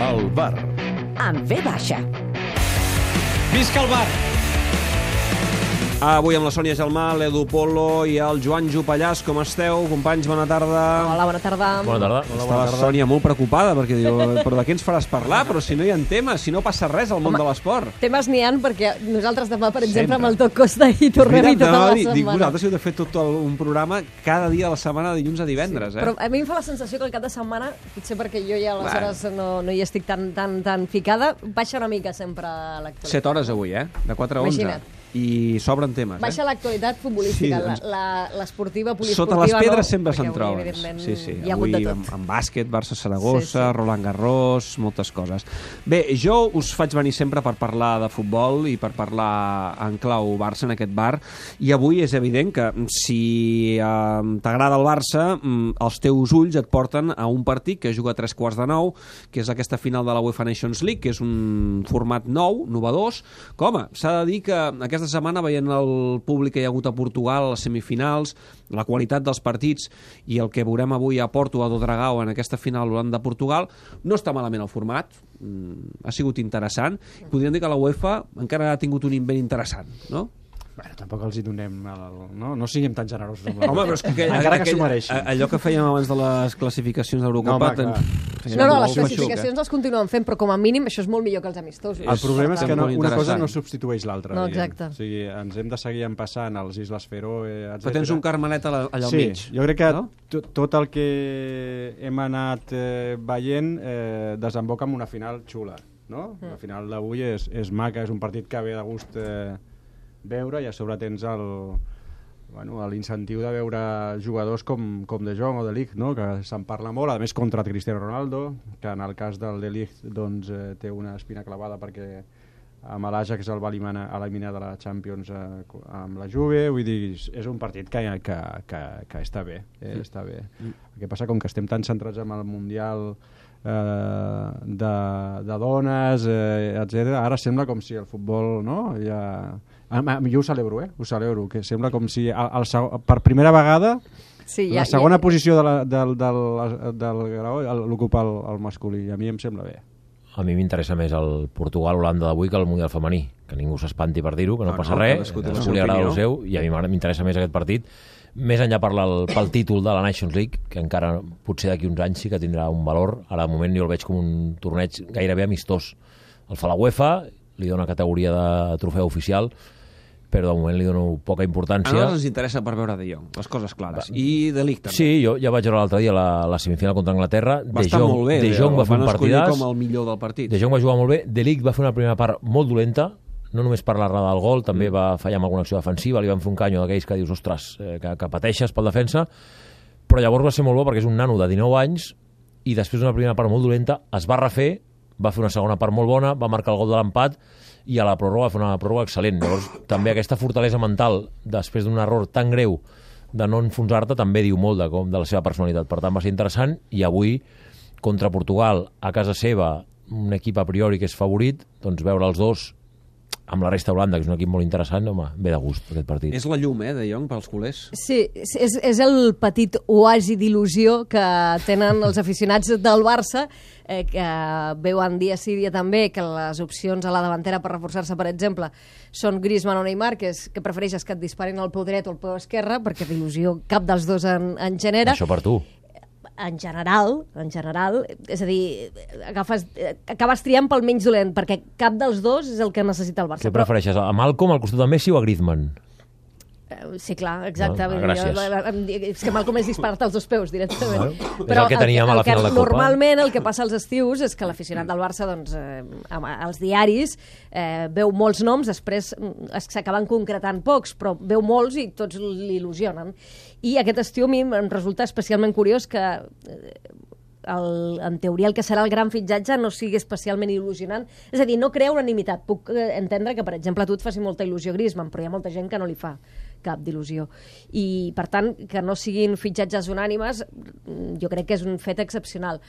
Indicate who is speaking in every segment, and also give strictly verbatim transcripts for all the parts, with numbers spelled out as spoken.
Speaker 1: El bar.
Speaker 2: Amb ve baixa.
Speaker 3: Visca el bar!
Speaker 4: Avui amb la Sònia Gelmà, l'Edu Polo i el Joan Jopallàs. Com esteu? Companys, bona tarda.
Speaker 2: Hola, bona tarda.
Speaker 3: Bona tarda.
Speaker 4: Hola, Està la Sònia molt preocupada perquè diu, però de què ens faràs parlar? Però si no hi ha temes, si no passa res al món
Speaker 2: Home,
Speaker 4: de l'esport.
Speaker 2: Temes n'hi ha perquè nosaltres demà, per exemple,
Speaker 4: Sempre.
Speaker 2: amb el Toc Costa hi tornem-hi tota la setmana.
Speaker 4: Dic, vosaltres heu de fer tot el, un programa cada dia de la setmana, de dilluns a divendres.
Speaker 2: Sí,
Speaker 4: eh?
Speaker 2: però a mi em fa la sensació que el cap de setmana, potser perquè jo ja aleshores no, no hi estic tan, tan, tan ficada, baixa una mica sempre l'actualitat.
Speaker 4: set hores avui, eh? De quatre a onze.
Speaker 2: Imagina't.
Speaker 4: I sobren temes,
Speaker 2: Baixa
Speaker 4: eh?
Speaker 2: l'actualitat futbolística,
Speaker 4: Sí, doncs,
Speaker 2: la- la- l'esportiva, poliesportiva...
Speaker 4: Sota les pedres
Speaker 2: no,
Speaker 4: sempre
Speaker 2: perquè
Speaker 4: se'n
Speaker 2: avui,
Speaker 4: troben.
Speaker 2: evidentment,
Speaker 4: Sí, sí.
Speaker 2: hi ha hagut
Speaker 4: Avui
Speaker 2: de tot.
Speaker 4: amb, amb bàsquet, Barça-Saragossa,
Speaker 2: Sí, sí.
Speaker 4: Roland Garros, moltes coses. Bé, jo us faig venir sempre per parlar de futbol i per parlar en clau Barça en aquest bar, i avui és evident que si eh, t'agrada el Barça, mm, els teus ulls et porten a un partit que juga a tres quarts de nou, que és aquesta final de la UEFA Nations League, que és un format nou, novedós. Com? S'ha de dir que aquesta setmana, veient el públic que hi ha hagut a Portugal, a les semifinals, la qualitat dels partits i el que veurem avui a Porto, a Dodragao, en aquesta final Holanda-Portugal, no està malament el format, mm, ha sigut interessant. Podríem dir que la UEFA encara ha tingut un invent interessant, no?
Speaker 3: Bueno, tampoc els hi donem... El, no? no siguem tan generosos amb la
Speaker 4: Home, però és que,
Speaker 3: encara que
Speaker 4: aquell-
Speaker 3: s'ho mereixin.
Speaker 4: allò que fèiem abans de les classificacions d'Eurocopa...
Speaker 3: No, home,
Speaker 4: ten-
Speaker 3: clar.
Speaker 4: feia
Speaker 2: No, no,
Speaker 4: molt
Speaker 2: les
Speaker 4: feixuc,
Speaker 2: classificacions
Speaker 4: eh?
Speaker 2: les continuen fent, però com a mínim això és molt millor que els amistosos.
Speaker 3: El problema és que no,
Speaker 4: molt
Speaker 3: una cosa
Speaker 4: interessant.
Speaker 3: no substitueix l'altra.
Speaker 2: No,
Speaker 3: diguem.
Speaker 2: exacte.
Speaker 3: O sigui, ens hem de seguir empassant als Islas Feroe, etcètera.
Speaker 4: Però tens un Carmelet allà al
Speaker 3: sí,
Speaker 4: mig.
Speaker 3: jo crec que
Speaker 4: no?
Speaker 3: tot, tot el que hem anat eh, veient eh, desemboca en una final xula, no?
Speaker 2: Mm.
Speaker 3: La final d'avui és, és maca, és un partit que ve de gust eh, veure, i a sobre tens el bueno, l'incentiu de veure jugadors com, com De Jong o De Ligt, no? Que se'n parla molt, a més contra Cristiano Ronaldo, que en el cas del De Ligt doncs, eh, té una espina clavada perquè amb l'Ajax el va eliminar, eliminar de la Champions eh, amb la Juve, vull dir, és un partit que, que, que, que està bé, eh,
Speaker 4: Sí.
Speaker 3: està bé. Mm. El que passa, com que estem tan centrats en el Mundial eh, de, de dones, eh, etcètera, ara sembla com si el futbol, no?, ja... A, a, jo ho celebro, eh? Ho celebro, que sembla com si el, el, el, per primera vegada
Speaker 2: Sí,
Speaker 3: la segona posició de la, del, del, del grau l'ocupa el, el masculí, i a mi em sembla bé.
Speaker 5: A mi m'interessa més el Portugal-Holanda d'avui que el Mundial femení, que ningú s'espanti per dir-ho, que no,
Speaker 4: No,
Speaker 5: passa
Speaker 4: no,
Speaker 5: res,
Speaker 4: cadascú té la
Speaker 5: cadascú
Speaker 4: seva
Speaker 5: li agrada
Speaker 4: opinió.
Speaker 5: el seu, i a mi m'interessa més aquest partit, més enllà per el, pel títol de la Nations League, que encara potser d'aquí uns anys sí que tindrà un valor. Ara de moment jo el veig com un torneig gairebé amistós. El fa la UEFA, li dona categoria de trofeu oficial, però de moment li dono poca
Speaker 4: A
Speaker 5: importància.
Speaker 4: nosaltres ens interessa per veure De Jong, les coses clares. I De Ligt també.
Speaker 5: Sí, jo ja vaig veure l'altre dia la, la semifinal contra Anglaterra.
Speaker 4: Va
Speaker 5: De
Speaker 4: estar
Speaker 5: Jong,
Speaker 4: molt bé.
Speaker 5: De Jong va fer un
Speaker 4: van escollir
Speaker 5: partidàs.
Speaker 4: com el millor del partit.
Speaker 5: De Jong va jugar molt bé. De Ligt va fer una primera part molt dolenta, no només per l'errada del gol, també
Speaker 4: Mm.
Speaker 5: va fallar amb alguna acció defensiva, li van fer un canyo d'aquells que dius, ostres, eh, que, que pateixes pel defensa, però llavors va ser molt bo perquè és un nano de dinou anys i després d'una primera part molt dolenta es va refer, va fer una segona part molt bona, va marcar el gol de l'empat i a la pròrroga va fer una pròrroga excel·lent. Llavors també aquesta fortalesa mental després d'un error tan greu de no enfonsar-te també diu molt de, com, de la seva personalitat. Per tant va ser interessant, i avui contra Portugal a casa seva, un equip a priori que és favorit, doncs veure els dos amb la resta d'Holanda, que és un equip molt interessant, home, ve de gust aquest partit.
Speaker 4: És la llum, eh, De Jong, pels culers.
Speaker 2: Sí, és, és el petit oasi d'il·lusió que tenen els aficionats del Barça, eh, que veuen dia sí dia també que les opcions a la davantera per reforçar-se, per exemple, són Griezmann o Neymar, que, és, que prefereixes que et disparin al peu dret o al peu esquerre, perquè d'il·lusió cap dels dos en, en genera.
Speaker 5: Això per tu.
Speaker 2: En general, en general, és a dir, agafes, acabes triant pel menys dolent, perquè cap dels dos és el que necessita el Barça.
Speaker 5: Què prefereixes, a Malcom al costat de Messi o a Griezmann?
Speaker 2: Però, sí, clar, exacte.
Speaker 5: Ah,
Speaker 2: Vull dir,
Speaker 5: gràcies.
Speaker 2: jo- em di- és que Malcom és disparar-te als dos peus, directament.
Speaker 5: Bueno, és el que teníem a la final de Copa.
Speaker 2: Normalment el que passa als estius és que l'aficionat del Barça, doncs, eh, amb- als diaris, eh, veu molts noms, després mm, es- s'acaben concretant pocs, però veu molts i tots l'il·lusionen. I aquest estiu a mi em resulta especialment curiós que eh, el, en teoria el que serà el gran fitxatge no sigui especialment il·lusionant. És a dir, no crea unanimitat. Puc eh, entendre que, per exemple, a tu et faci molta il·lusió Griezmann, però hi ha molta gent que no li fa cap d'il·lusió. I, per tant, que no siguin fitxatges unànimes, mm, jo crec que és un fet excepcional.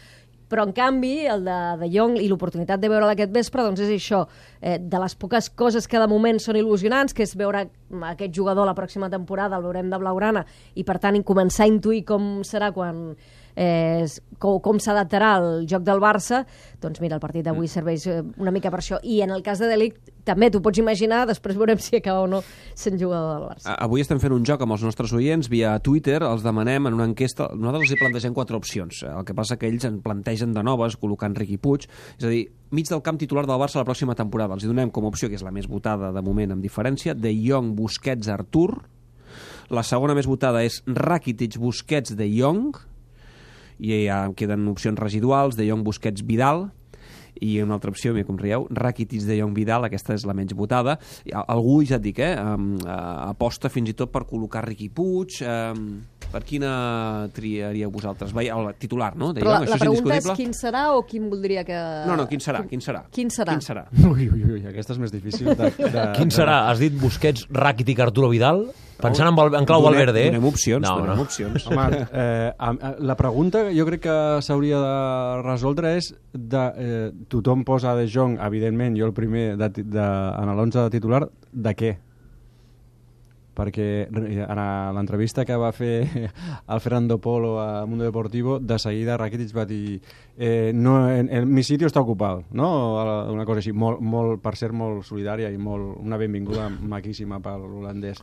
Speaker 2: Però, en canvi, el de, de Jong i l'oportunitat de veure'l aquest vespre, doncs és això, eh, de les poques coses que de moment són il·lusionants, que és veure aquest jugador la pròxima temporada, el veurem de blaugrana, i per tant començar a intuir com serà quan eh, com, com s'adaptarà al joc del Barça, doncs mira, el partit d'avui serveix una mica per això. I en el cas de De Ligt, també t'ho pots imaginar, després veurem si acaba o no sent jugador del Barça.
Speaker 4: Avui estem fent un joc amb els nostres oients via Twitter, els demanem en una enquesta, nosaltres els hi plantegem quatre opcions, el que passa que ells en plantegen de noves, col·locant Riqui Puig, és a dir, mig del camp titular del Barça la pròxima temporada. Els hi donem com a opció, que és la més votada de moment amb diferència, De Jong, Busquets, Artur. La segona més votada és Rakitic, Busquets, De Jong, i ja queden opcions residuals, De Jong, Busquets, Vidal, i una altra opció, mira com rieu, Rakitic, De Jong, Vidal, aquesta és la menys votada. Algú, ja et dic, eh, aposta fins i tot per col·locar Riqui Puig. Per quina triaríeu vosaltres? El titular, no? De
Speaker 2: Però
Speaker 4: Jong,
Speaker 2: la, la
Speaker 4: és
Speaker 2: pregunta és
Speaker 4: indiscutible?
Speaker 2: quin serà o quin voldria que...
Speaker 4: No, no, quin serà? Quin serà?
Speaker 2: Quin serà?
Speaker 4: Quin serà?
Speaker 3: Ui, ui, ui, aquesta és més difícil. De, de,
Speaker 5: Quin serà? Has dit Busquets, Rakitic, Arturo Vidal? Pensant en, Val- en clau
Speaker 4: Donem-
Speaker 5: Valverde, eh?
Speaker 4: Donem opcions,
Speaker 5: No,
Speaker 4: donem
Speaker 5: no.
Speaker 4: opcions.
Speaker 3: Home, eh, a- a- la pregunta que jo crec que s'hauria de resoldre és de, eh, tothom posa De Jong, evidentment, jo el primer de, ti- de, en l'onze de titular, de què? Perquè en l'entrevista que va fer el Fernando Polo a Mundo Deportivo, de seguida Rakitic va dir eh, no, en, en, mi sitio està ocupat, no? Una cosa així, molt, molt, per ser molt solidària i molt, una benvinguda maquíssima per l'holandès.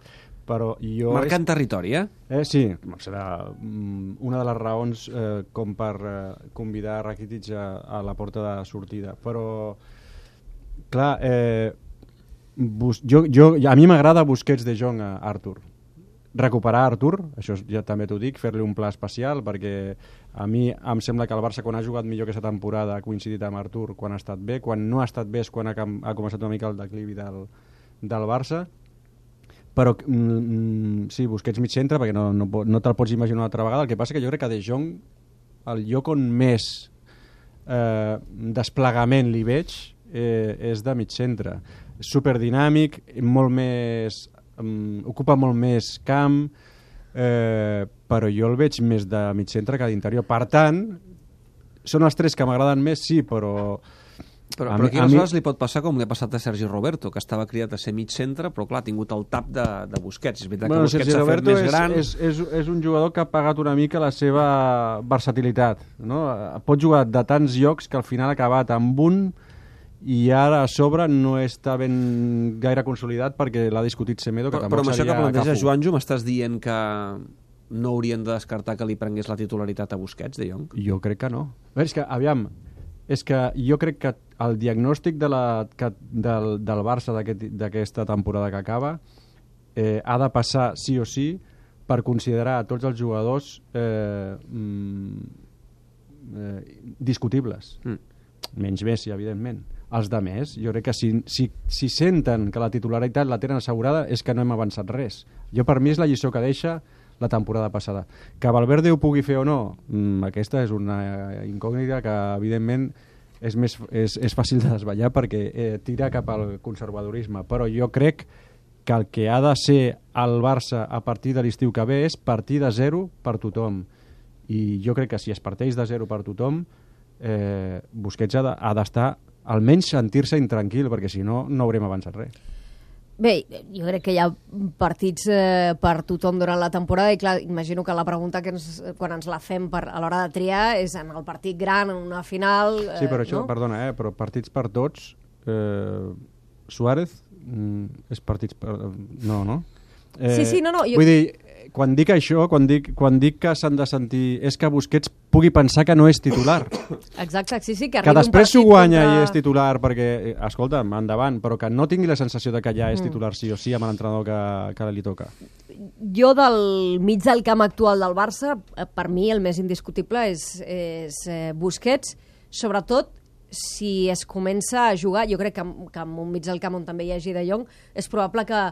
Speaker 3: Però jo
Speaker 4: Marcant
Speaker 3: és...
Speaker 4: territori, eh?
Speaker 3: Eh, sí, serà mm, una de les raons eh, com per eh, convidar Rakitic a, a la porta de sortida. Però, clar, eh, bus, jo, jo, a mi m'agrada Busquets, De Jong a Artur. Recuperar Artur, això ja també t'ho dic, fer-li un pla especial, perquè a mi em sembla que el Barça, quan ha jugat millor aquesta temporada, ha coincidit amb Artur quan ha estat bé, quan no ha estat bé és quan ha, ha començat una mica el declivi del, del Barça. Però mm, sí, Busquets mig centre, perquè no, no, no te'l pots imaginar una altra vegada. El que passa que jo crec que De Jong, el lloc on més eh, desplegament li veig eh, és de mig centre. És superdinàmic, molt més, um, ocupa molt més camp, eh, però jo el veig més de mig centre que d'interior. Per tant, són els tres que m'agraden més, sí, però...
Speaker 4: Però,
Speaker 3: A
Speaker 4: però
Speaker 3: mi-
Speaker 4: aquí
Speaker 3: a
Speaker 4: aleshores
Speaker 3: mi-
Speaker 4: li pot passar com li ha passat a Sergi Roberto, que estava criat a ser mig centre, però clar, ha tingut el tap de, de Busquets. És veritat
Speaker 3: Bueno,
Speaker 4: que Busquets
Speaker 3: Sergi
Speaker 4: s'ha fet
Speaker 3: Roberto
Speaker 4: més
Speaker 3: és,
Speaker 4: gran.
Speaker 3: és, és, és un jugador que ha pagat una mica la seva versatilitat, no? Pot jugar de tants llocs que al final ha acabat amb un i ara a sobre no està ben gaire consolidat perquè l'ha discutit Semedo, que
Speaker 4: Però, però
Speaker 3: tampoc
Speaker 4: amb això que
Speaker 3: seria
Speaker 4: planteja
Speaker 3: Cafu.
Speaker 4: Joanjo, m'estàs dient que no haurien de descartar que li prengués la titularitat a Busquets, De Jong?
Speaker 3: Jo crec que no. A veure, és que, aviam, és que jo crec que el diagnòstic de la, que, del, del Barça d'aquest- d'aquesta temporada que acaba eh, ha de passar sí o sí per considerar tots els jugadors eh, mm, eh, discutibles.
Speaker 4: Mm.
Speaker 3: Menys Messi, evidentment. Els de més, jo crec que si, si, si senten que la titularitat la tenen assegurada és que no hem avançat res. Jo, per mi, és la lliçó que deixa la temporada passada. Que Valverde ho pugui fer o no, mm, aquesta és una incògnita que, evidentment, és, més, és, és fàcil de desvetllar perquè eh, tira cap al conservadorisme. Però jo crec que el que ha de ser el Barça a partir de l'estiu que ve és partir de zero per tothom. I jo crec que si es parteix de zero per tothom, eh, Busquets ha de- ha d'estar, almenys sentir-se intranquil, perquè si no, no haurem avançat res.
Speaker 2: Bé, jo crec que hi ha partits eh, per tothom durant la temporada i clar, imagino que la pregunta que ens, quan ens la fem per, a l'hora de triar és en el partit gran, en una final... Eh,
Speaker 3: Sí, però això,
Speaker 2: no?
Speaker 3: perdona, eh, però partits per tots, eh, Suárez, mm, és partits per... No, no? Eh,
Speaker 2: Sí, sí, no, no, jo-
Speaker 3: Vull dir, quan dic això, quan dic, quan dic que s'han de sentir... És que Busquets pugui pensar que no és titular.
Speaker 2: Exacte, sí, sí, que
Speaker 3: Que
Speaker 2: arribi un
Speaker 3: després s'ho
Speaker 2: partit
Speaker 3: guanya
Speaker 2: contra...
Speaker 3: i és titular perquè, eh, escolta'm, endavant, però que no tingui la sensació de que ja
Speaker 2: Mm.
Speaker 3: és titular sí o sí amb l'entrenador que, que li toca.
Speaker 2: Jo del mig del camp actual del Barça, eh, per mi el més indiscutible és, és eh, Busquets, sobretot si es comença a jugar, jo crec que, amb- que amb un mig del camp on també hi hagi De Jong, és probable que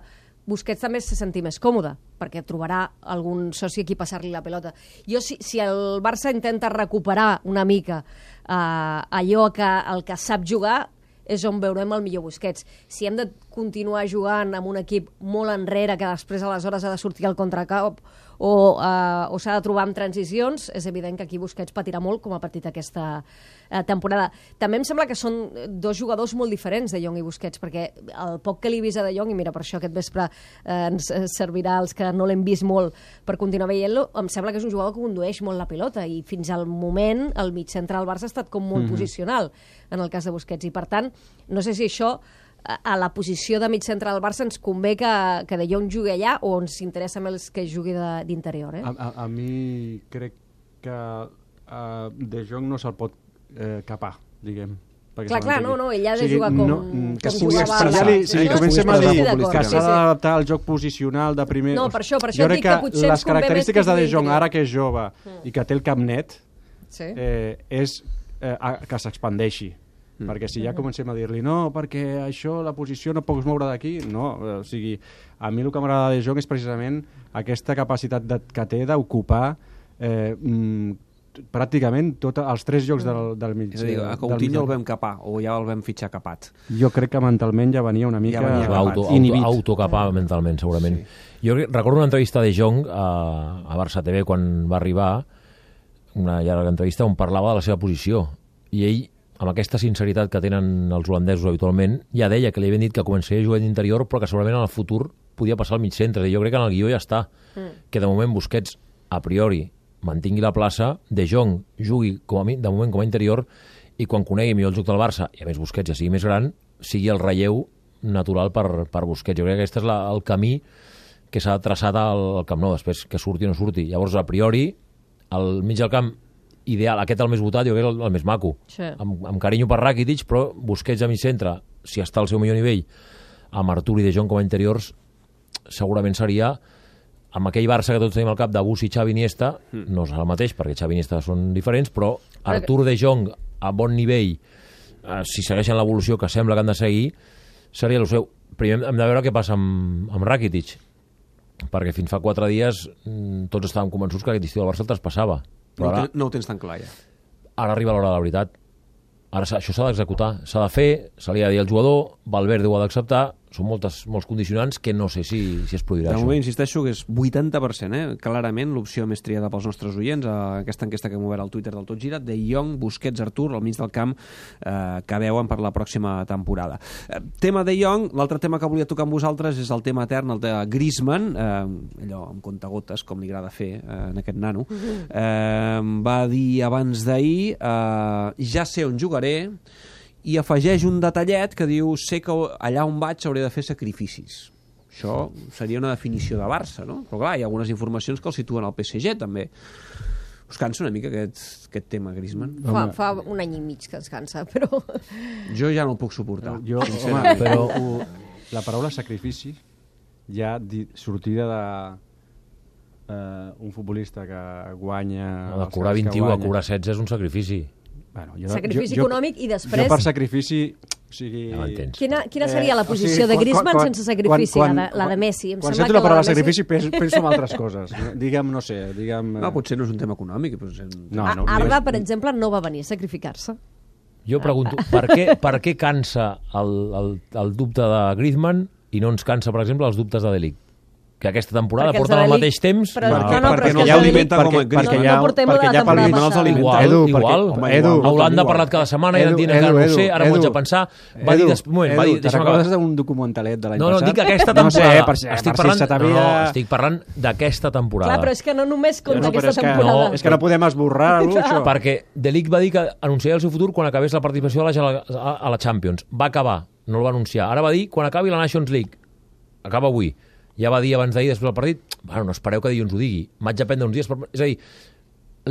Speaker 2: Busquets també se senti més còmode, perquè trobarà algun soci a qui passar-li la pelota. Jo, si, si el Barça intenta recuperar una mica eh, allò que el que sap jugar, és on veurem el millor Busquets. Si hem de continuar jugant amb un equip molt enrere, que després aleshores ha de sortir al contracop, o, uh, o s'ha de trobar amb transicions, és evident que aquí Busquets patirà molt com ha patit aquesta uh, temporada. També em sembla que són dos jugadors molt diferents, De Jong i Busquets, perquè el poc que li he vist a De Jong, i mira, per això aquest vespre uh, ens servirà als que no l'hem vist molt per continuar veient-lo, em sembla que és un jugador que condueix molt la pilota, i fins al moment el mig centre del Barça ha estat com molt mm-hmm. posicional en el cas de Busquets, i per tant, no sé si això a la posició de mig centre del Barça ens convé que, que De Jong jugui allà o ens interessa més que jugui d'interior, eh?
Speaker 3: A, a, a mi crec que uh, De Jong no se'l pot eh, capar, diguem.
Speaker 2: Clar, clar, no, no, ell ha de o sigui, jugar com,
Speaker 3: no,
Speaker 2: que
Speaker 3: com jugava al Barça. Si sí, comencem a dir que s'ha d'adaptar al joc posicional de primer...
Speaker 2: No, per això, per això
Speaker 3: jo
Speaker 2: dic que, que potser
Speaker 3: les característiques de De Jong, ara que és jove mm. i que té el cap net,
Speaker 2: sí.
Speaker 3: eh, és eh, que s'expandeixi. Mm. Perquè si ja comencem a dir-li no, perquè això, la posició no pots moure d'aquí, no, o sigui, a mi el que m'agrada de Jong és precisament aquesta capacitat de, que té d'ocupar eh, mm, pràcticament tots els tres llocs del, del mig.
Speaker 4: És a dir, a Coutinho el vam capar, o ja el vam fitxar capat.
Speaker 3: Jo crec que mentalment ja venia una mica
Speaker 5: ja auto,
Speaker 3: inhibit.
Speaker 5: Auto, autocapar mentalment, segurament. Sí. Jo recordo una entrevista de Jong a, a Barça T V quan va arribar, una llarga entrevista on parlava de la seva posició, i ell, amb aquesta sinceritat que tenen els holandesos habitualment, ja deia que li havien dit que començaria a jugar d'interior, però que segurament en el futur podia passar al mig centre. I jo crec que en el guió ja està. Mm. Que de moment Busquets, a priori, mantingui la plaça, De Jong jugui com a mi, de moment com a interior, i quan conegui millor el joc del Barça, i a més Busquets ja sigui més gran, sigui el relleu natural per, per Busquets. Jo crec que aquest és la, el camí que s'ha traçat al, al Camp Nou, després que surti o no surti. Llavors, a priori, al mig del camp ideal, aquest el més votat, jo crec que és el, el més maco. Sí. Amb, amb carinyo per Rakitic, però Busquets a mig centre, si està al seu millor nivell, amb Artur i De Jong com a interiors, segurament seria, amb aquell Barça que tots tenim al cap de Bussi, Xavi, Iniesta, mm. no serà el mateix, perquè Xavi i Iniesta són diferents, però Artur, De Jong, a bon nivell, eh, si segueixen l'evolució que sembla que han de seguir, seria el seu. Primer hem de veure què passa amb, amb Rakitic, perquè fins fa quatre dies tots estàvem convençuts que aquest estiu del Barça el traspassava.
Speaker 4: No, ara, no ho tens tan clar, ja.
Speaker 5: Ara arriba l'hora de la veritat. Ara això s'ha d'executar, s'ha de fer, se li ha de dir al jugador, Valverde ho ha d'acceptar, són moltes, molts condicionants que no sé si, si es produirà
Speaker 4: de
Speaker 5: això.
Speaker 4: De moment, insisteixo, que és vuitanta per cent, eh? Clarament l'opció més triada pels nostres oients, a aquesta enquesta que hem obert al Twitter del Tot Gira, De Jong, Busquets, Artur, al mig del camp, eh, que veuen per la pròxima temporada. Eh, tema De Jong, l'altre tema que volia tocar amb vosaltres és el tema etern, el de Griezmann, eh, allò amb contagotes, com li agrada fer eh, en aquest nano, eh, va dir abans d'ahir, eh, ja sé on jugaré, i afegeix un detallet que diu sé que allà on vaig hauré de fer sacrificis. Això seria una definició de Barça, no? Però clar, hi ha algunes informacions que el situen al P S G, també. Us cansa una mica aquest, aquest tema, Griezmann?
Speaker 2: Fa, fa un any i mig que ens cansa, però...
Speaker 4: Jo ja no el puc suportar.
Speaker 3: Jo, home, però la paraula sacrifici ja di, sortida de uh, un futbolista que guanya...
Speaker 5: No, de cobrar vint-i-u a cobrar setze és un sacrifici.
Speaker 2: Bueno, jo, sacrifici jo, econòmic i després...
Speaker 3: Jo per sacrifici... O sigui...
Speaker 5: No
Speaker 2: quina, quina seria la posició eh, o sigui, de Griezmann quan, quan, sense sacrifici, quan, quan, la, de, la de Messi? Em
Speaker 3: quan sento la paraula sacrifici penso, penso en altres coses. Digue'm, no sé, digue'm...
Speaker 4: No, potser no és un tema econòmic. Potser...
Speaker 3: No, no,
Speaker 2: Arda, per exemple, no va venir a sacrificar-se.
Speaker 5: Jo pregunto, per què, per què cansa el, el, el dubte de Griezmann i no ens cansa, per exemple, els dubtes de De Ligt? Que aquesta temporada
Speaker 2: perquè
Speaker 5: porten al mateix temps...
Speaker 2: Però,
Speaker 3: no,
Speaker 2: no, no,
Speaker 3: perquè
Speaker 2: no
Speaker 3: ja ho alimenta com a
Speaker 2: Griezmann. No, no portem la temporada passada.
Speaker 5: Igual,
Speaker 3: Edu,
Speaker 5: igual.
Speaker 3: Perquè, Edu,
Speaker 5: Holanda ha parlat cada setmana i ara dient encara no sé, ara m'ho haig de pensar. Va dir... Des... Moment,
Speaker 3: Edu,
Speaker 5: va dir,
Speaker 3: te recordes d'un documentalet de l'any
Speaker 5: no, no,
Speaker 3: passat?
Speaker 5: No, dic aquesta temporada.
Speaker 3: No sé, per,
Speaker 5: estic
Speaker 3: per
Speaker 5: parlant,
Speaker 3: si
Speaker 5: no, no, estic parlant d'aquesta temporada.
Speaker 2: Clar, però és que no només compta
Speaker 3: no,
Speaker 2: aquesta
Speaker 3: és que,
Speaker 2: temporada.
Speaker 3: No, és que no podem esborrar-ho, això.
Speaker 5: Perquè De Ligt va dir que anunciaria el seu futur quan acabés la participació a la, a la Champions. Va acabar, no el va anunciar. Ara va dir quan acabi la Nations League. Acaba avui. Ja va dir abans d'ahir, després del partit, bueno, no espereu que dilluns ho digui, m'haig de prendre uns dies per... És a dir,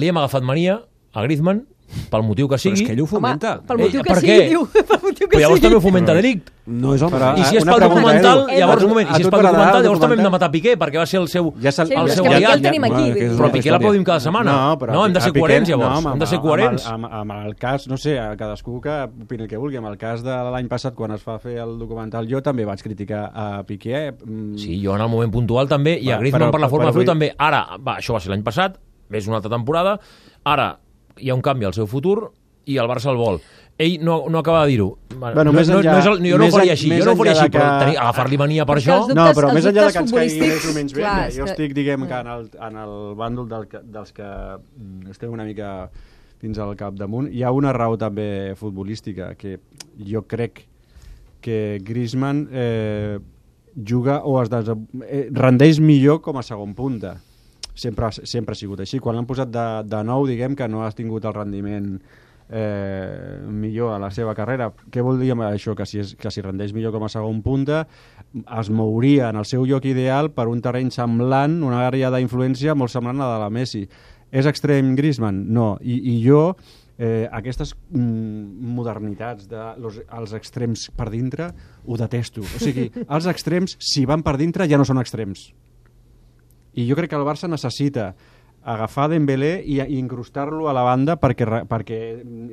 Speaker 5: li hem agafat mania a Griezmann, pel motiu que sigui...
Speaker 4: Però és que ell ho fomenta.
Speaker 2: Home, pel motiu
Speaker 5: eh,
Speaker 2: que sigui, diu. Pel motiu que
Speaker 5: però llavors
Speaker 2: sigui.
Speaker 5: també ho fomenta De Ligt.
Speaker 4: No és el
Speaker 3: però,
Speaker 5: I si és pel
Speaker 3: pregunta,
Speaker 5: documental,
Speaker 3: Edu,
Speaker 5: llavors un moment, i si és pel documental, llavors també hem de
Speaker 3: documental?
Speaker 5: matar Piqué, perquè va ser el seu,
Speaker 3: ja
Speaker 2: sí,
Speaker 5: el seu
Speaker 2: ja,
Speaker 5: aliat.
Speaker 2: ja el tenim aquí.
Speaker 3: Ja,
Speaker 5: però Piqué l'aplaudim cada setmana.
Speaker 3: No, però
Speaker 5: no hem de ser coherents, llavors.
Speaker 3: No,
Speaker 5: hem de ser coherents.
Speaker 3: Amb, amb, amb el cas, no sé, cadascú que opini el que vulgui. Amb el cas de l'any passat, quan es va fer el documental, jo també vaig criticar a Piqué.
Speaker 5: Sí, jo en el moment puntual també, i a Griezmann per la forma de fer també. Ara, va, això va ser l'any passat, és una altra temporada, ara hi ha un canvi al seu futur i el Barça el vol. ell no, no acaba de dir-ho.
Speaker 3: Bueno,
Speaker 5: no,
Speaker 3: més
Speaker 5: no,
Speaker 3: enllà,
Speaker 5: no és el, jo no ho faria així,
Speaker 3: més
Speaker 5: jo no ho faria
Speaker 3: enllà
Speaker 5: així,
Speaker 3: de
Speaker 5: però
Speaker 3: que-
Speaker 5: tenir, agafar-li mania per
Speaker 2: És que
Speaker 5: això...
Speaker 2: els dubtes-
Speaker 3: No, però
Speaker 2: els
Speaker 3: més enllà de
Speaker 2: dubtes
Speaker 3: que ens caigui
Speaker 2: futbolístics,
Speaker 3: més o menys bé,
Speaker 2: clar,
Speaker 3: mira,
Speaker 2: és
Speaker 3: jo
Speaker 2: que-
Speaker 3: estic, diguem, que en el, en el bàndol del, que- dels que mm, estem una mica fins al capdamunt. Hi ha una raó també futbolística, que jo crec que Griezmann eh, juga o es des... eh, rendeix millor com a segon punta. Sempre, sempre ha sigut així. Quan l'han posat de, de nou, diguem que no has tingut el rendiment eh, millor a la seva carrera. Què vol dir amb això? Que si, és, que si rendeix millor com a segon punta es mouria en el seu lloc ideal per un terreny semblant, una àrea d'influència molt semblant a la de la Messi. És extrem Griezmann? No. I, i jo eh, aquestes mm, modernitats de los, els extrems per dintre ho detesto. O sigui, els extrems, si van per dintre, ja no són extrems. I jo crec que el Barça necessita agafar Dembélé i, i incrustar-lo a la banda perquè, perquè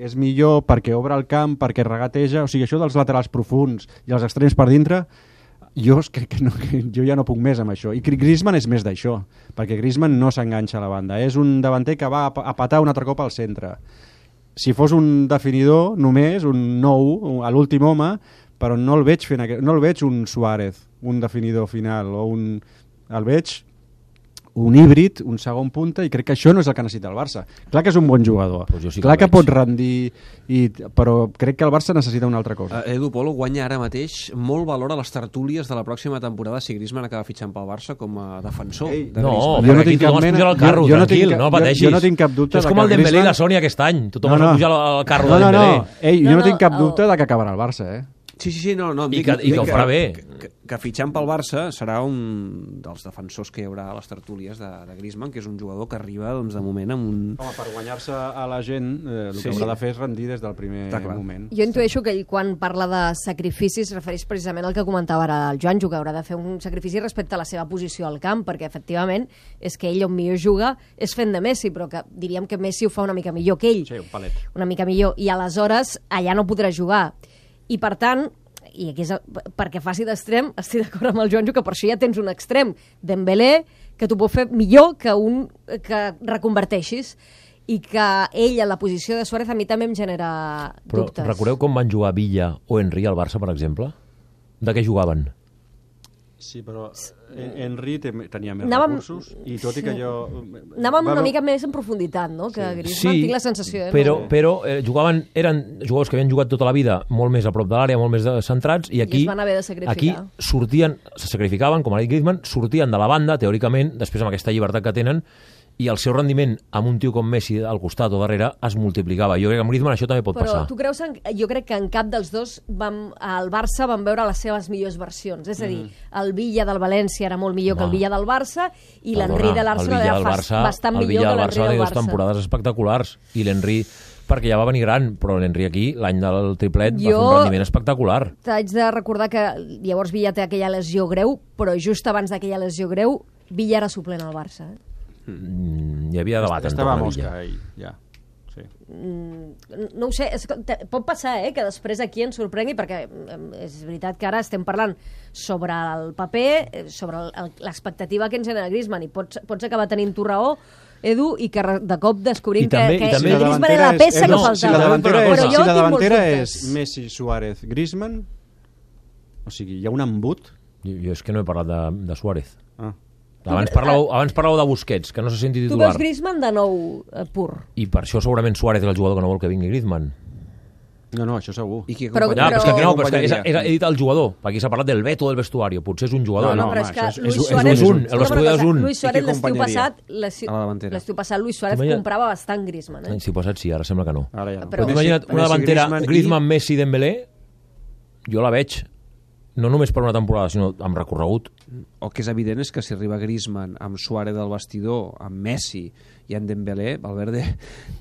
Speaker 3: és millor, perquè obre el camp, perquè regateja. O sigui, això dels laterals profunds i els extrems per dintre, jo crec que, no, que jo ja no puc més amb això. I Griezmann és més d'això, perquè Griezmann no s'enganxa a la banda. És un davanter que va a patar un altre cop al centre. Si fos un definidor només, un nou, a l'últim home, però no el veig fent aquest, no el veig un Suárez, un definidor final, o un... el veig un híbrid, un segon punta, i crec que això no és el que necessita el Barça. Clar que és un bon jugador,
Speaker 5: pues sí que
Speaker 3: clar que
Speaker 5: veig.
Speaker 3: pot rendir, i, però crec que el Barça necessita una altra cosa.
Speaker 4: Uh, Edu Polo guanya ara mateix molt valor a les tertúlies de la pròxima temporada si Griezmann acaba fitxant pel Barça com a defensor.
Speaker 3: Ei,
Speaker 4: de
Speaker 5: No,
Speaker 4: Griezmann.
Speaker 3: Jo no
Speaker 5: perquè
Speaker 3: tinc
Speaker 5: aquí tothom
Speaker 3: cap
Speaker 5: es
Speaker 3: mena-
Speaker 5: puja al carro,
Speaker 3: jo- jo no
Speaker 5: tranquil,
Speaker 3: tinc cap-
Speaker 5: no
Speaker 3: jo-
Speaker 5: pateixis.
Speaker 3: jo no tinc cap dubte
Speaker 5: És
Speaker 3: de
Speaker 5: com
Speaker 3: que
Speaker 5: el Dembélé i
Speaker 3: Griezmann-
Speaker 5: la Sònia aquest any. Tothom
Speaker 3: No,
Speaker 5: es
Speaker 3: no.
Speaker 5: puja al, al carro
Speaker 3: No,
Speaker 5: de
Speaker 3: no,
Speaker 5: Dembélé.
Speaker 3: no. Ei, jo
Speaker 2: No,
Speaker 3: no,
Speaker 2: no,
Speaker 3: tinc cap
Speaker 2: el-
Speaker 3: dubte de que acabarà el Barça, eh?
Speaker 4: Sí, sí, sí, no, no. em
Speaker 5: I
Speaker 4: dic-
Speaker 5: que- i que
Speaker 4: dic
Speaker 5: ho farà bé.
Speaker 4: Que, que, que fitxant pel Barça serà un dels defensors que hi haurà a les tertúlies de, de Griezmann, que és un jugador que arriba, doncs, de moment amb un...
Speaker 3: Home, per guanyar-se a la gent, eh, el
Speaker 4: Sí,
Speaker 3: que haurà
Speaker 4: sí.
Speaker 3: de fer és rendir des del primer
Speaker 4: Està clar.
Speaker 3: moment.
Speaker 2: Jo intueixo que ell, quan parla de sacrificis, es refereix precisament al que comentava ara el Joanjo, que haurà de fer un sacrifici respecte a la seva posició al camp, perquè efectivament és que ell on millor juga és fent de Messi, però que diríem que Messi ho fa una mica millor que ell.
Speaker 3: Sí, un palet.
Speaker 2: Una mica millor. I aleshores allà no podrà jugar. I per tant, i aquí és el, perquè faci d'extrem, estic d'acord amb el Joanjo que per això ja tens un extrem, Dembélé, que t'ho pot fer millor que un que reconverteixis, i que ell a la posició de Suárez a mi també em genera
Speaker 5: Però
Speaker 2: dubtes.
Speaker 5: recordeu com van jugar Villa o Henry al Barça, per exemple? De què jugaven?
Speaker 3: Sí, però en- Henry te- tenia més
Speaker 2: Anàvem-
Speaker 3: recursos, i tot i que jo...
Speaker 2: Anàvem una
Speaker 3: Bueno,
Speaker 2: mica més en profunditat, no? Que
Speaker 3: Sí.
Speaker 2: Griezmann, tinc la sensació. Eh?
Speaker 5: però,
Speaker 2: No?
Speaker 5: però eh, jugaven, eren jugadors que havien jugat tota la vida molt més a prop de l'àrea, molt més de, centrats, i aquí,
Speaker 2: es van haver de sacrificar.
Speaker 5: aquí sortien, se sacrificaven, com ha dit Griezmann, sortien de la banda, teòricament, després amb aquesta llibertat que tenen, i el seu rendiment amb un tio com Messi al costat o darrere es multiplicava. Jo crec que amb Griezmann això també pot
Speaker 2: Però
Speaker 5: passar.
Speaker 2: tu creus, en, jo crec que en cap dels dos vam, al Barça van veure les seves millors versions. És a dir, el Villa del València era molt millor que el
Speaker 5: Home.
Speaker 2: Villa del Barça, i
Speaker 5: Perdona,
Speaker 2: l'Henry de
Speaker 5: el
Speaker 2: l'Arsenal
Speaker 5: Villa
Speaker 2: era
Speaker 5: del
Speaker 2: fas-
Speaker 5: Barça,
Speaker 2: bastant
Speaker 5: el
Speaker 2: millor
Speaker 5: Villa
Speaker 2: que
Speaker 5: del
Speaker 2: l'Henry
Speaker 5: Barça
Speaker 2: del
Speaker 5: té dues
Speaker 2: Barça.
Speaker 5: temporades espectaculars, i l'Henry, perquè ja va venir gran, però l'Henry aquí, l'any del triplet, va fer
Speaker 2: Jo-
Speaker 5: un rendiment espectacular.
Speaker 2: T'haig de recordar que llavors Villa té aquella lesió greu, però just abans d'aquella lesió greu, Villa era suplent al Barça. Eh?
Speaker 5: Mm, hi havia debat
Speaker 3: Estava
Speaker 5: entorn a
Speaker 3: mosca,
Speaker 5: Villa.
Speaker 3: ell, ja. Sí.
Speaker 2: Mm, no ho sé, és, que te- pot passar eh, que després aquí ens sorprengui, perquè mm, és veritat que ara estem parlant sobre el paper, eh, sobre el- el- l'expectativa que ens genera Griezmann, i pots, pots acabar tenint tu raó, Edu, i que re- de cop descobrim
Speaker 5: I també-
Speaker 2: que,
Speaker 5: i
Speaker 2: que
Speaker 5: també-
Speaker 2: Griezmann era la peça
Speaker 3: és,
Speaker 2: que
Speaker 3: no,
Speaker 2: faltava.
Speaker 3: si la davantera,
Speaker 5: Però
Speaker 3: és,
Speaker 2: jo
Speaker 3: si la
Speaker 2: tinc
Speaker 3: davantera
Speaker 2: molts
Speaker 3: és
Speaker 2: dubtes.
Speaker 3: Messi, Suárez, Griezmann, o sigui, hi ha un embut.
Speaker 5: Jo, jo és que no he parlat de, de Suárez.
Speaker 3: Ah.
Speaker 5: Abans parlàveu, abans parlàveu de Busquets, que no se senti
Speaker 2: Tu
Speaker 5: titular.
Speaker 2: veus Griezmann de nou eh, pur.
Speaker 5: I per això segurament Suárez és el jugador que no vol que vingui Griezmann.
Speaker 3: No, no, això segur.
Speaker 4: I qui
Speaker 2: Però-
Speaker 5: Ja, però, és que
Speaker 2: Però-
Speaker 5: no, però és que és,
Speaker 4: acompanyaria?
Speaker 5: he dit el jugador. Aquí s'ha parlat del veto del vestuario. Potser és un jugador.
Speaker 3: No, no,
Speaker 2: però
Speaker 3: home,
Speaker 2: és que
Speaker 3: això és-
Speaker 2: Luis
Speaker 3: és- és
Speaker 2: Suárez...
Speaker 5: un, el
Speaker 2: Escolta'm
Speaker 5: vestuari
Speaker 2: una
Speaker 5: és
Speaker 2: cosa,
Speaker 5: un.
Speaker 2: Luis
Speaker 4: I
Speaker 2: Suárez
Speaker 4: qui
Speaker 2: l'estiu
Speaker 4: acompanyaria
Speaker 2: passat, l'estiu
Speaker 4: a la davantera?
Speaker 2: l'estiu passat Luis Suárez
Speaker 5: T'imagina-
Speaker 2: comprava bastant Griezmann. Eh?
Speaker 5: L'estiu passat sí, ara sembla que no.
Speaker 3: Ara ja no.
Speaker 2: Però-
Speaker 5: Però t'ho imagina't una
Speaker 4: Messi,
Speaker 5: davantera
Speaker 4: Griezmann i-
Speaker 5: Griezmann, Messi, Dembélé, jo la veig no només per una temporada, sinó amb recorregut.
Speaker 4: El que és evident és que si arriba Griezmann amb Suárez del vestidor, amb Messi i amb Dembélé, Valverde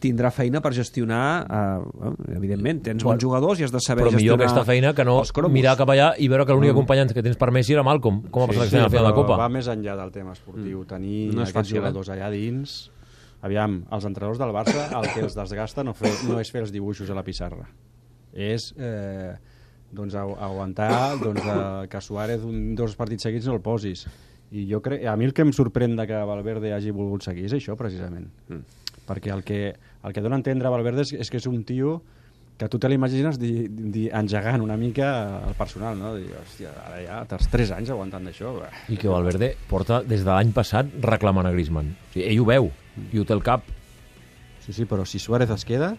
Speaker 4: tindrà feina per gestionar, eh, bueno, evidentment, tens bons jugadors i has de saber
Speaker 5: Però millor
Speaker 4: gestionar
Speaker 5: aquesta feina que no
Speaker 4: els cromos.
Speaker 5: mirar cap allà i veure que l'únic acompanyant que tens per Messi era Malcom. Com ha passat sí, sí, al final de
Speaker 3: però
Speaker 5: Copa?
Speaker 3: va més enllà del tema esportiu. Tenir
Speaker 4: No és
Speaker 3: aquests
Speaker 4: fàcil, eh?
Speaker 3: jugadors allà dins... Aviam, els entrenadors del Barça, el que els desgasta no, fer, no és fer els dibuixos a la pissarra. És eh, doncs, agu- aguantar doncs, eh, que Suárez un, dos partits seguits no el posis. I jo crec, a mi el que em sorprèn de que Valverde hagi volgut seguir és això, precisament. Mm. Perquè el que, el que dona a entendre Valverde és, és que és un tio que tu te l'imagines di, di, engegant una mica el personal, no? Dir, hòstia, ara ja tens tres anys aguantant d'això.
Speaker 5: I que Valverde porta des de l'any passat reclamant a Griezmann. O sigui, ell ho veu i ho té al cap.
Speaker 3: Sí, sí, però si Suárez es queda,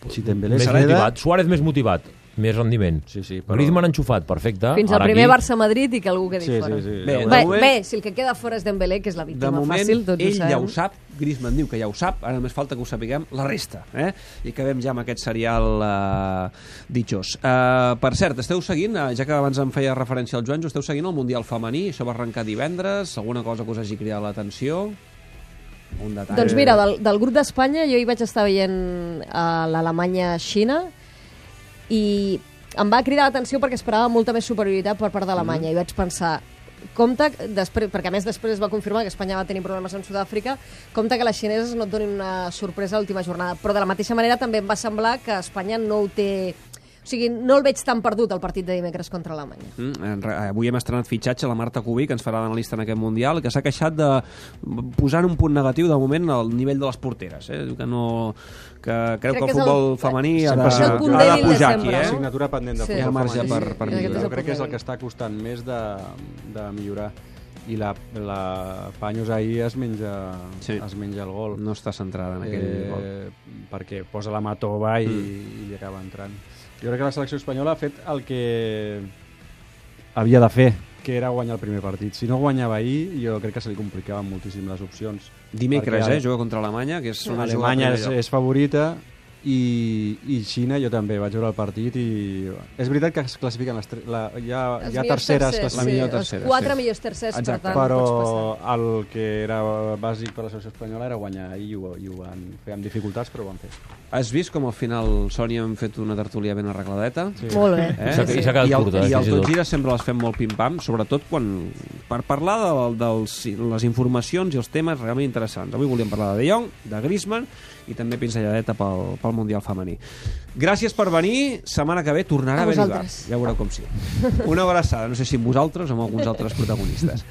Speaker 3: si Dembélé
Speaker 5: Més
Speaker 3: es queda...
Speaker 5: motivat. Suárez més motivat, més rendiment.
Speaker 3: Sí, sí, però...
Speaker 5: Griezmann enxufat, perfecte.
Speaker 2: Fins al
Speaker 5: Ara
Speaker 2: primer
Speaker 5: aquí...
Speaker 2: Barça-Madrid i que algú quedi
Speaker 3: Sí,
Speaker 2: fora.
Speaker 3: sí, sí.
Speaker 4: Bé,
Speaker 3: Ja ho
Speaker 2: Bé,
Speaker 3: veurem.
Speaker 2: bé, si el que queda fora és Dembélé, que és la
Speaker 4: De
Speaker 2: víctima
Speaker 4: moment,
Speaker 2: fàcil, tots ho
Speaker 4: ell
Speaker 2: sabem.
Speaker 4: ja ho sap, Griezmann diu que ja ho sap, ara només falta que ho sapiguem la resta. Eh? I acabem ja amb aquest serial uh, ditxós. Uh, per cert, esteu seguint, uh, ja que abans em feia referència al Joan, esteu seguint el Mundial Femení, això va arrencar divendres, alguna cosa que us hagi cridat l'atenció? Un detall?
Speaker 2: Doncs mira, del, del grup d'Espanya jo hi vaig estar veient a l'Alemanya-Xina i em va cridar l'atenció perquè esperava molta més superioritat per part d'Alemanya, mm. i vaig pensar, compte, després, perquè a més després es va confirmar que Espanya va tenir problemes amb Sud-àfrica, compte que les xineses no et donin una sorpresa a l'última jornada, però de la mateixa manera també em va semblar que Espanya no ho té... O sigui, no el veig tan perdut el partit de dimecres contra Alemanya.
Speaker 4: Mm, avui hem estrenat fitxatge la Marta Cubí, que ens farà d'analista en aquest Mundial, que s'ha queixat de posar en un punt negatiu de moment el nivell de les porteres, eh? que no... que creu
Speaker 2: Crec
Speaker 4: que el
Speaker 2: que és
Speaker 4: futbol
Speaker 2: el-
Speaker 4: femení ha
Speaker 3: Sempre
Speaker 4: de,
Speaker 3: ha sigut
Speaker 2: punt
Speaker 4: ha de
Speaker 2: dèbil de
Speaker 4: pujar aquí,
Speaker 2: sempre,
Speaker 4: eh?
Speaker 2: no?
Speaker 3: Assignatura pendent de
Speaker 2: Sí.
Speaker 3: futbol
Speaker 4: Hi ha marge
Speaker 3: femení.
Speaker 4: per- per
Speaker 3: I
Speaker 4: millorar.
Speaker 3: jo crec que és el que està costant més de, de millorar. I la, la Paños ahir es menja,
Speaker 4: Sí.
Speaker 3: es menja el gol.
Speaker 4: No està centrada en aquell
Speaker 3: eh,
Speaker 4: gol.
Speaker 3: perquè posa la mà tova i,
Speaker 4: Mm.
Speaker 3: i li acaba entrant. Jo crec que la selecció espanyola ha fet el que havia de fer, que era guanyar el primer partit. Si no guanyava ahir, jo crec que se li complicaven moltíssim les opcions.
Speaker 4: Dimecres,
Speaker 3: Perquè
Speaker 4: eh? Juga contra Alemanya, que és una jugada
Speaker 3: Alemanya
Speaker 4: al
Speaker 3: és,
Speaker 4: primer lloc.
Speaker 3: és favorita i, i Xina jo també vaig veure el partit i és veritat que es classifiquen les tre... la, hi ha,
Speaker 2: Els
Speaker 3: hi ha
Speaker 2: millors
Speaker 3: terceres
Speaker 2: tercers,
Speaker 3: que
Speaker 4: la
Speaker 3: sí,
Speaker 4: millor
Speaker 2: sí,
Speaker 4: tercera,
Speaker 2: els quatre
Speaker 4: sí.
Speaker 2: millors tercers,
Speaker 4: Exacte.
Speaker 2: per tant,
Speaker 3: però
Speaker 2: no pots passar.
Speaker 3: el que era bàsic per la selecció espanyola era guanyar i ho, i ho van fer amb dificultats, però ho van fer.
Speaker 4: Has vist com al final, Sònia, hem fet una tertúlia ben arregladeta?
Speaker 3: Sí.
Speaker 2: Molt bé.
Speaker 4: Eh?
Speaker 5: I s'ha- i s'ha quedat
Speaker 4: I el,
Speaker 5: curta, eh,
Speaker 4: I el
Speaker 5: fins i tot.
Speaker 4: Tot Gira sempre les fem molt pim-pam, sobretot quan, per parlar de, dels, les informacions i els temes realment interessants. Avui volíem parlar de De Jong, de Griezmann i també pinzelladeta pel, pel Mundial femení. Gràcies per venir. Setmana que ve tornarà
Speaker 2: A
Speaker 4: a haver-hi bar.
Speaker 2: vosaltres.
Speaker 4: Ja veureu com sí. Una abraçada, no sé si amb vosaltres o amb alguns altres protagonistes.